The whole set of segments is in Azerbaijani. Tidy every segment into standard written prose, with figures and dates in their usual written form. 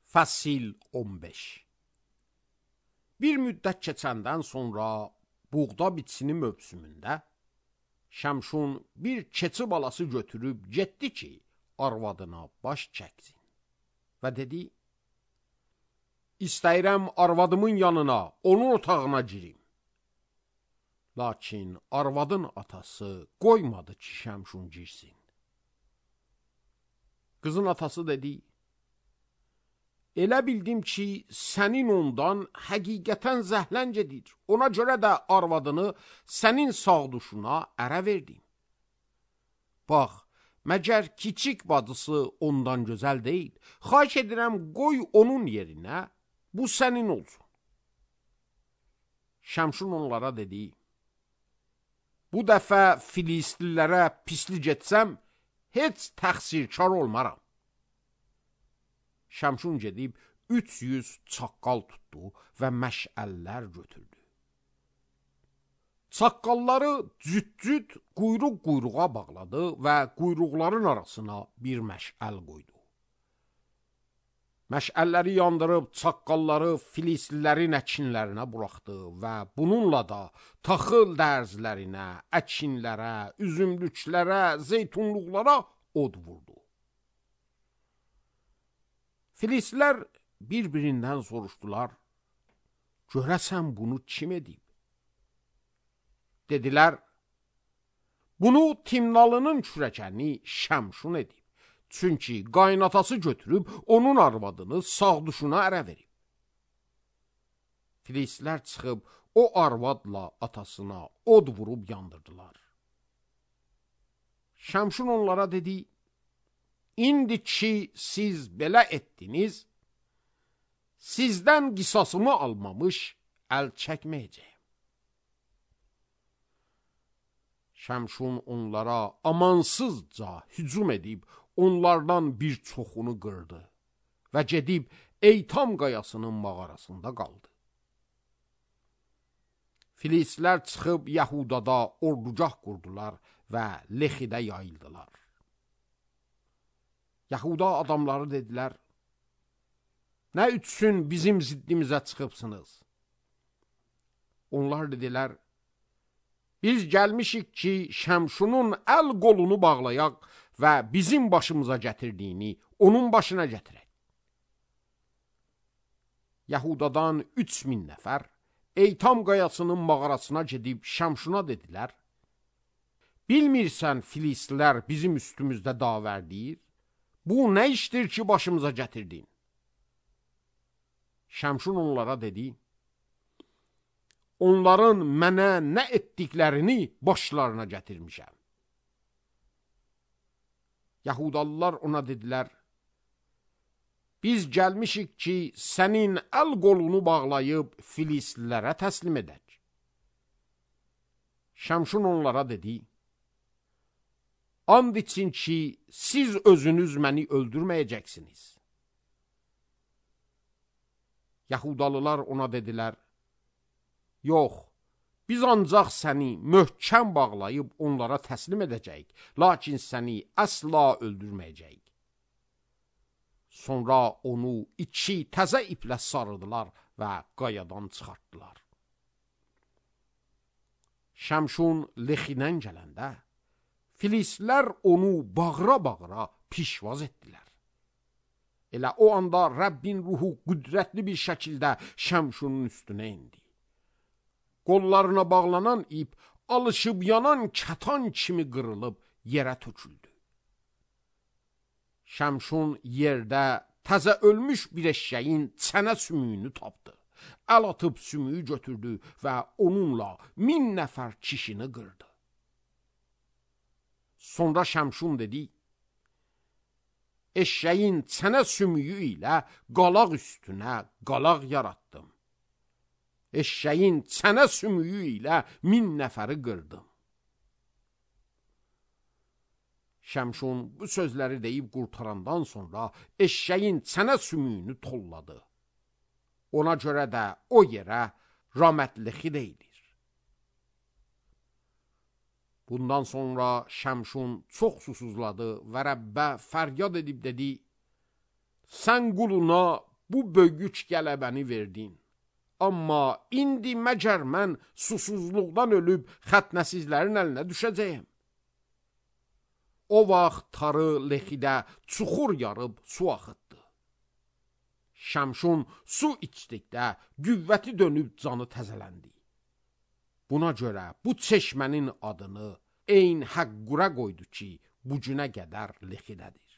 Fəsil 15. Bir müddət keçəndən sonra buğda biçini mövsümündə Şəmşun bir keçi balası götürüb getdi ki, arvadına baş çəksin. Və dedi, İstəyirəm arvadımın yanına, onun otağına girim. Lakin arvadın atası qoymadı ki, Şəmşun girsin. Qızın atası dedi, elə bildim ki, sənin ondan həqiqətən zəhlən gedir. Ona görə də arvadını sənin sağduşuna ərə verdim. Bax, məgər kiçik bacısı ondan gözəl deyil. Xahiş edirəm, qoy onun yerinə, bu sənin olsun. Şəmşun onlara dedi, bu dəfə Filistlilərə pislik etsəm, heç təqsirkar olmaram. Şəmşun gedib 300 çaqqal tutdu və məşəllər götürdü. Çaqqalları cüt-cüt quyruq-quyruğa bağladı və quyruqların arasına bir məşəl qoydu. Məşəlləri yandırıb çaqqalları Filistlilərin əkinlərinə buraxdı və bununla da taxıl dərzlərinə, əkinlərə, üzümlüklərə, zeytunluqlara od vurdu. Filistlilər bir-birindən soruşdular, görəsən bunu kim edib? Dedilər, bunu Timnalının kürəkəni Şəmşun edib. Çünki qaynatası götürüb onun arvadını sağduşuna ərə verib. Filistlilər çıxıb o arvadla atasına od vurub yandırdılar. Şəmşun onlara dedi, İndi ki siz belə etdiniz, sizdən qisasımı almamış əl çəkməyəcəyim. Şəmşun onlara amansızca hücum edib, onlardan bir çoxunu qırdı və gedib Eytam qayasının mağarasında qaldı. Filistlilər çıxıb Yəhudada ordugah qurdular və Lexidə yayıldılar. Yahuda adamları dedilər, nə üçün bizim ziddimizə çıxıbsınız? Onlar dedilər, biz gəlmişik ki, Şəmşunun əl qolunu bağlayaq və bizim başımıza gətirdiyini onun başına gətirək. Yahudadan 3000 nəfər Eytam qayasının mağarasına gedib Şəmşuna dedilər, bilmirsən Filistlilər bizim üstümüzdə davərdir? Bu nə işdir ki, başımıza gətirdin? Şəmşun onlara dedi, onların mənə nə etdiklərini başlarına gətirmişəm. Yahudalılar ona dedilər, biz gəlmişik ki, sənin əl qolunu bağlayıb Filistlilərə təslim edək. Şəmşun onlara dedi, and için ki, siz özünüz məni öldürməyəcəksiniz. Yahudalılar ona dedilər, yox, biz ancaq səni möhkəm bağlayıb onlara təslim edəcəyik, lakin səni əsla öldürməyəcəyik. Sonra onu 2 təzə iplə sarıdılar və qayadan çıxartdılar. Şəmşun Lexidən gələndə, Filistlilər onu bağıra-bağıra pişvaz etdilər. Elə o anda Rəbbin ruhu qüdrətli bir şəkildə Şəmşunun üstünə indi. Qollarına bağlanan ip alışıb yanan kətan kimi qırılıb yerə töküldü. Şəmşun yerdə təzə ölmüş bir eşşəyin çənə sümüyünü tapdı. Əl atıb sümüyü götürdü və onunla 1000 nəfər kişini qırdı. Sonra Şəmşun dedi, eşşəyin çənə sümüyü ilə qalaq üstünə qalaq yaratdım. Eşşəyin çənə sümüyü ilə 1000 nəfəri qırdım. Şəmşun bu sözləri deyib qurtarandan sonra eşşəyin çənə sümüyünü tolladı. Ona görə də o yerə Ramət-Lexi deyilir. Bundan sonra Şəmşun çox susuzladı və Rəbbə fəryad edib dedi, sən quluna bu böyük qələbəni verdin. Amma indi məgər mən susuzluqdan ölüb xətnəsizlərin əlinə düşəcəyəm. O vaxt tarı Lexidə çuxur yarıb su axıtdı. Şəmşun su içdikdə qüvvəti dönüb canı təzələndi. Buna görə bu çeşmənin adını Eyn Həqqura qoydu ki, bu günə qədər Lexidədir.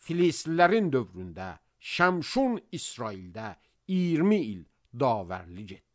Filistlilərin dövründə Şəmşun İsraildə 20 il davərlik etdi.